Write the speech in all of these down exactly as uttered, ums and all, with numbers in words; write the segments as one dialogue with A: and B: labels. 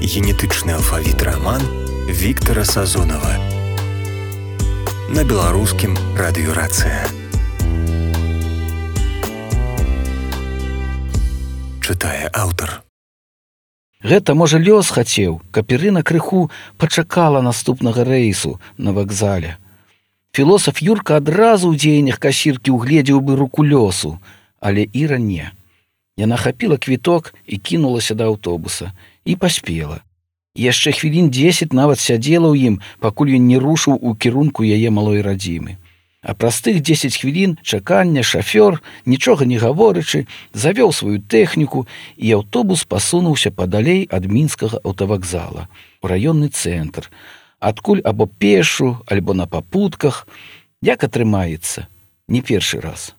A: Генетычны алфавіт раман Віктара Сазонава на беларускім радыёрацыя. Чытае аўтар.
B: Гэта, можа, лёс хацеў, каб Ірына крыху пачакала наступнага рэйсу на вакзале. Філосаф Юрка адразу ў дзеяннях касіркі угледзеў бы руку лёсу, але Іра не. Яна хапіла квіток і кінулася да аўтобуса. І паспела. Яшчэ хвілін дзесяць нават сядзела ў ім, пакуль ён не рушыў у кірунку яе малой радзімы. А праз тых дзесяць хвілін чакання шафёр, нічога не гаворачы, завёў сваю тэхніку, і аўтобус пасунуўся падалей ад мінскага аўтавакзала, у раённы цэнтр, адкуль або пешу, альбо на папутках, як атрымаецца, не першы раз.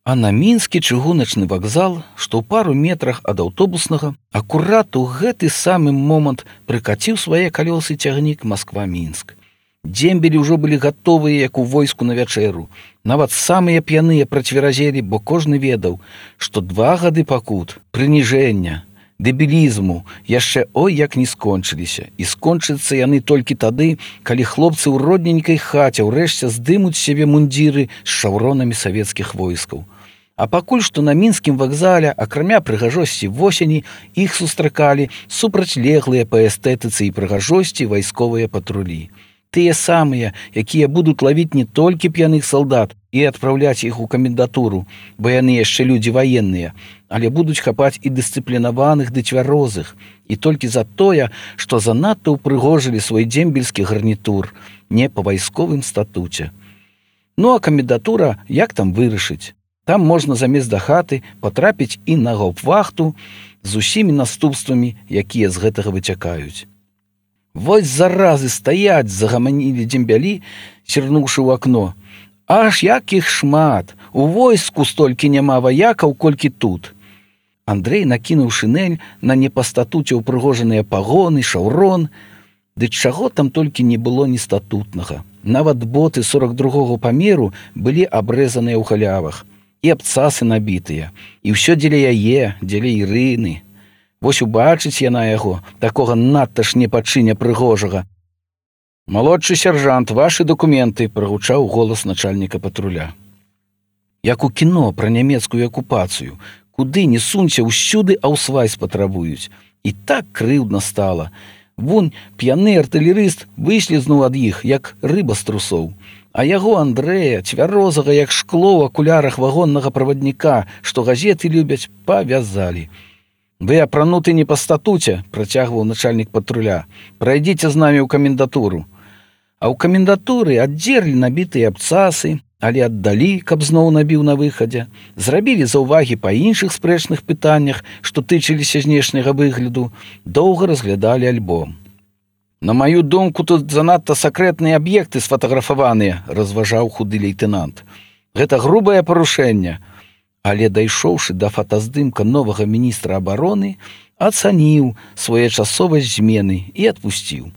B: А на мінскі чыгуначны вакзал, што ў пару метрах ад аўтобуснага, акурат у гэты самы момант прыкаціў свае калёсы цягнік Масква-Мінск. Дзембелі ўжо былі гатовыя, як у войску на вячэру. Нават самыя п'яныя працверазелі, бо кожны ведаў, што два гады пакут, прыніжэння, дэбілізму яшчэ ой як не скончыліся. І скончацца яны толькі тады, калі хлопцы ў родненькай хаце ўрэшце здымуць сябе мундзіры з шаўронамі савецкіх войскаў. А пакуль што на мінскім вакзале, акрамя прыгажосці восені, іх сустракалі супрацьлеглыя па эстэтыцы і прыгажосці вайсковыя патрулі. Тыя самыя, якія будуць лавіць не толькі п'яных салдат і адпраўляць іх у камендатуру, бо яны яшчэ людзі ваенныя, але будуць хапаць і дысцыплінаваных ды цвярозых, і толькі за тое, што занадта ўпрыгожылі свой дзембельскі гарнітур, не па вайсковым статуце. Ну а камендатура як там вырашыць? Там можна замест да хаты патрапіць і на гауптвахту з усімі наступствамі, якія з гэтага выцякаюць. Вось заразы стаяць, загаманілі дзембялі, сірнуўшы ў акно. Аж як іх шмат, у войску столькі няма ваякаў, колькі тут. Андрэй накінуў шинель на не па статуце ўпрыгожаныя пагоны, шаўрон. Ды чаго там толькі не было ні статутнага. Нават боты сорок другога памеру былі абрэзаныя ў халявах. І абцасы набітыя. І ўсё дзеля яе, дзеля Ірыны. Вось убачыць яна яго, такога надта ж непачыня прыгожага. «Малодшы сяржант, вашы дакументы», – прагучаў голас начальніка патруля. Як у кіно пра нямецкую акупацыю. Куды не сунься, ўсюды аўсвайс патрабуюць. І так крыўдна стала. Вунь п'яны артылерыст выслізнуў ад іх, як рыба з трусоў. А яго Андрэя, цвярозага, як шкло ў акулярах вагоннага правадніка, што газеты любяць, павязалі. «Вы апрануты не па статуце», – працягваў начальнік патруля. «Прайдзіце з намі ў камендатуру». А ў камендатуры аддзерлі набітыя абцасы, але аддалі, каб зноў набіў на выхадзе. Зрабілі заўвагі па іншых спрэчных пытаннях, што тычыліся знешняга выгляду. Доўга разглядалі альбом. «На маю думку, тут занадта сакрэтныя аб'екты сфатаграфаваныя», – разважаў худы лейтэнант. «Гэта грубае парушэнне». Але, дайшоўшы да фотаздымка новага міністра абароны, ацаніў своечасовасць змены і адпусціў.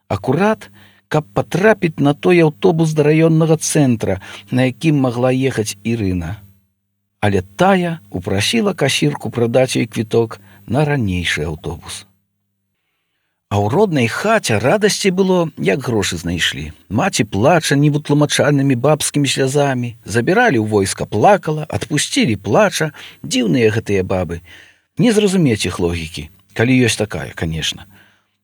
B: Акурат, каб патрапіць на той аўтобус да раённага цэнтра, на якім магла ехаць Ірына. Але тая упрасіла касірку прадаць ёй квіток на ранейшы аўтобус. А ў роднай хаце радасці было, як грошы знайшлі. Маці плача невытлумачальнымі бабскімі слязамі, забіралі ў войска плакала, адпусцілі плача, дзіўныя гэтыя бабы. Не зразумець іх логікі, калі ёсць такая, канешне.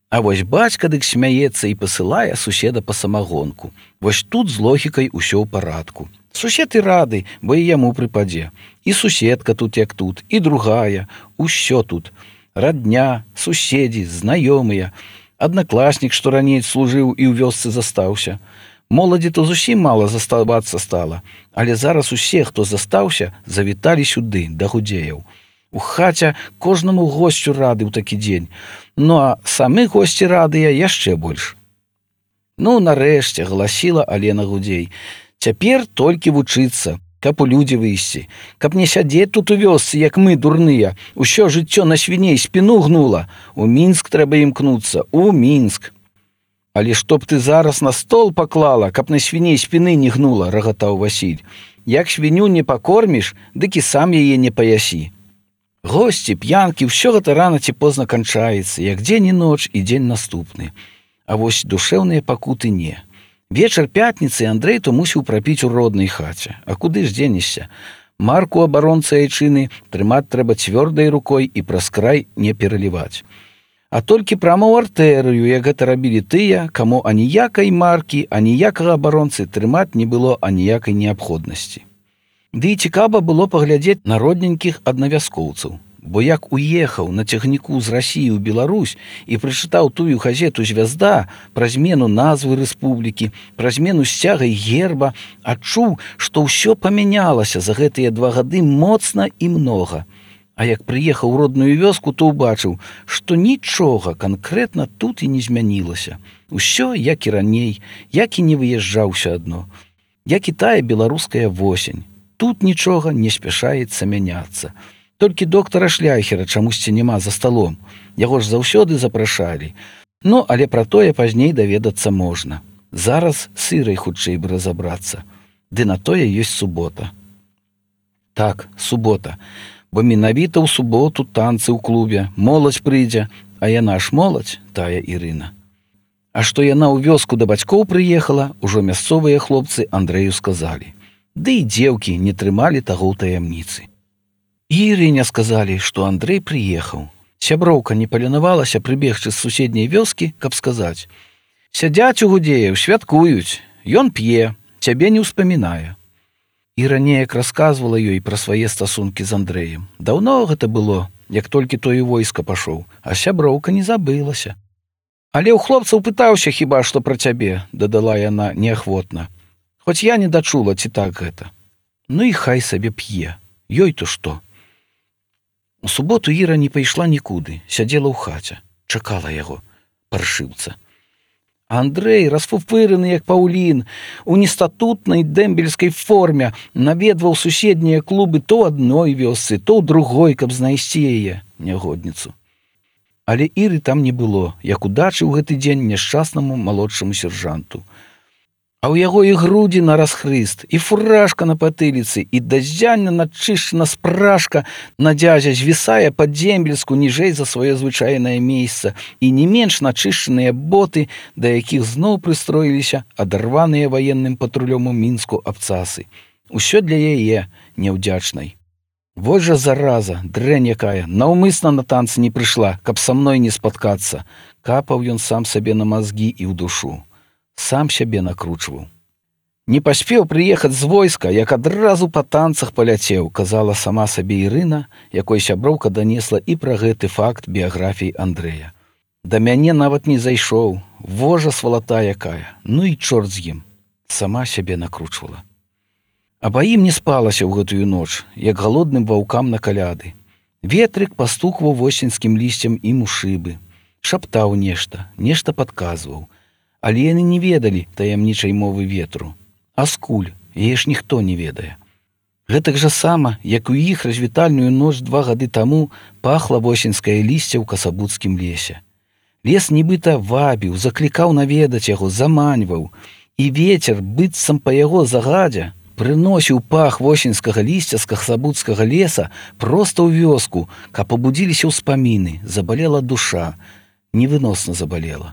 B: А вось бацька дык смяецца і пасылае суседа па самагонку. Вось тут з логікай усё ў парадку. Сусед і рады, бо і яму прыпадзе. І суседка тут як тут, і другая, усё тут. Радня, суседзі, знаёмыя, аднакласнік, што раней служыў і ў вёсцы застаўся. Моладзі то зусім мала заставацца стала, але зараз усе, хто застаўся, завіталі сюды, да гудзеяў. У хаце кожнаму госцю рады ў такі дзень, ну а самы госці радыя яшчэ больш. Ну, нарэшце, гласіла Алена Гудзей, цяпер толькі вучыцца, каб у людзі выйсці, каб не сядзець тут у вёсцы, як мы, дурныя, усё жыццё на свіней спіну гнула. У Мінск трэба імкнуцца, у Мінск. Але што б ты зараз на стол паклала, каб на свіней спіны не гнула, рагатаў Васіль. Як свіню не пакорміш, дык і сам яе не паясі. Госці, п'янкі, ўсё гэта рана ці позна канчаецца, як дзень і ноч і дзень наступны. А вось душэўныя пакуты не. Вечар пятніцы Андрэй то мусіў прапіць у роднай хаце. А куды ж дзенешся? Марку абаронцы айчыны трымаць трэба цвёрдай рукой і праз край не пераліваць. А толькі прама ў артэрыю, як гэта рабілі тыя, каму аніякай маркі, аніякага абаронцы трымаць не было аніякай неабходнасці. Ды і цікава было паглядзець на родненькіх аднавяскоўцаў, бо як уехаў на цягніку з Расіі ў Беларусь і прачытаў тую газету «Звязда» пра змену назвы рэспублікі, пра змену сцяга і герба, адчуў, што ўсё памянялася за гэтыя два гады моцна і многа. А як прыехаў у родную вёску, то ўбачыў, што нічога канкрэтна тут і не змянілася. Усё, як і раней, як і не выязджаў усё адно. Як і тая беларуская восень. Тут нічога не спяшаецца мяняцца. Толькі доктара Шляхера чамусьці няма за сталом. Яго ж заўсёды запрашалі. Ну, але пра тое пазней даведацца можна. Зараз сырай хутчэй бы разабрацца. Ды на тое ёсць субота. Так, субота. Бо менавіта ў суботу танцы ў клубе, моладзь прыйдзе, а яна ж моладзь, тая Ірына. А што яна ў вёску да бацькоў прыехала, ужо мясцовыя хлопцы Андрэю сказалі. Ды і дзеўкі не трымалі таго ў таямніцы. І Ірыне сказалі, што Андрэй прыехаў. Сяброўка не паленавалася прыбегчы з суседняй вёскі, каб сказаць. Сядзяць у Гудзеяў, святкуюць, ён п'е, цябе не ўспамінае. Іра неяк расказвала ёй пра свае стасункі з Андрэем. Даўно гэта было, як толькі той у войска пашоў, а сяброўка не забылася. Але ў хлопцаў пытаўся хіба што пра цябе, дадала яна неахвотна. Хоць я не дачула, ці так гэта. Ну і хай сабе п'е. Ёй то што? У суботу Іра не пайшла нікуды, сядзела ў хаце, чакала яго, паршыўца. Андрэй, расфуфыраны як паўлін, у нестатутнай дэмбельскай форме наведваў суседнія клубы то адной вёсцы, то ў другой, каб знайсці яе, нягодніцу. Але Іры там не было, як удачы ў гэты дзень няшчаснаму малодшаму сержанту. А ў яго і грудзі на расхрыст, і фуражка на патыліцы, і дазянна начышчана спражка на дзязя звісае пад дзембельску ніжэй за сваё звычайнае месца, і не менш начышчаныя боты, да якіх зноў прыстроіліся адарваныя ваенным патрулём у Мінску абцасы. Усё для яе, няўдзячнай. Вось жа зараза, дрэнь якая, наўмысна на танцы не прыйшла, каб са мной не спаткацца. Капаў ён сам сабе на мазгі і ў душу. Сам сябе накручваў. Не паспеў прыехаць з войска, як адразу па танцах паляцеў, казала сама сабе Ірына, якой сяброўка данесла і пра гэты факт біяграфіі Андрэя. Да мяне нават не зайшоў, вожа свалата якая, ну і чорт з ім. Сама сябе накручвала. Абаім не спалася ў гэтую ноч, як галодным ваўкам на каляды. Ветрык пастукваў восеньскім лісцем ім у шыбы. Шаптаў нешта, нешта падказваў. Але яны не ведалі таямнічай мовы ветру. А скуль, яе ж ніхто не ведае. Гэтак жа сама, як у іх развітальную ноч два гады таму пахла восеньскае лісце ў касабуцкім лесе. Лес нібыта вабіў, заклікаў наведаць яго, заманьваў. І вецер, быццам па яго загадзя, прыносіў пах восеньскага лісця з касабуцкага леса проста ў вёску, каб пабудзіліся ўспаміны, забалела душа, невыносна забалела.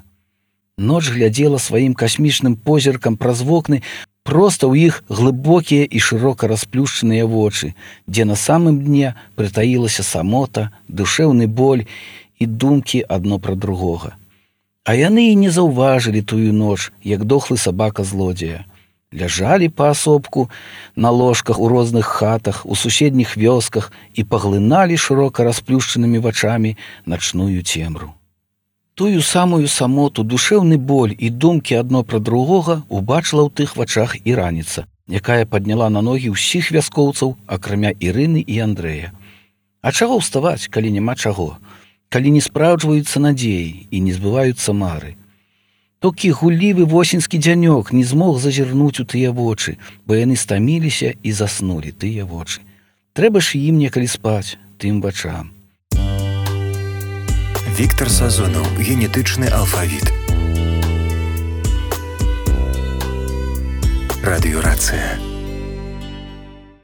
B: Ноч глядзела сваім касмічным позіркам праз вокны проста ў іх глыбокія і шырока расплюшчаныя вочы, дзе на самым дне прытаілася самота, душэўны боль і думкі адно пра другога. А яны і не заўважылі тую ноч, як дохлы сабака-злодзея. Ляжалі паасобку на ложках у розных хатах, у суседніх вёсках і паглыналі шырока расплюшчанымі вачамі начную цемру. Тую самую самоту, душэўны боль і думкі адно пра другога убачыла ў тых вачах і раніца, якая падняла на ногі ўсіх вяскоўцаў, акрамя Ірыны і Андрэя. А чаго ўставаць, калі няма чаго? Калі не спраўджваюцца надзеі і не збываюцца мары? Толькі гуллівы восеньскі дзянёк не змог зазірнуць у тыя вочы, бо яны стаміліся і заснулі тыя вочы. Трэба ж ім некалі спаць, тым вачам.
A: Віктор Сазонаў, генетычны алфавіт. Радыёрацыя.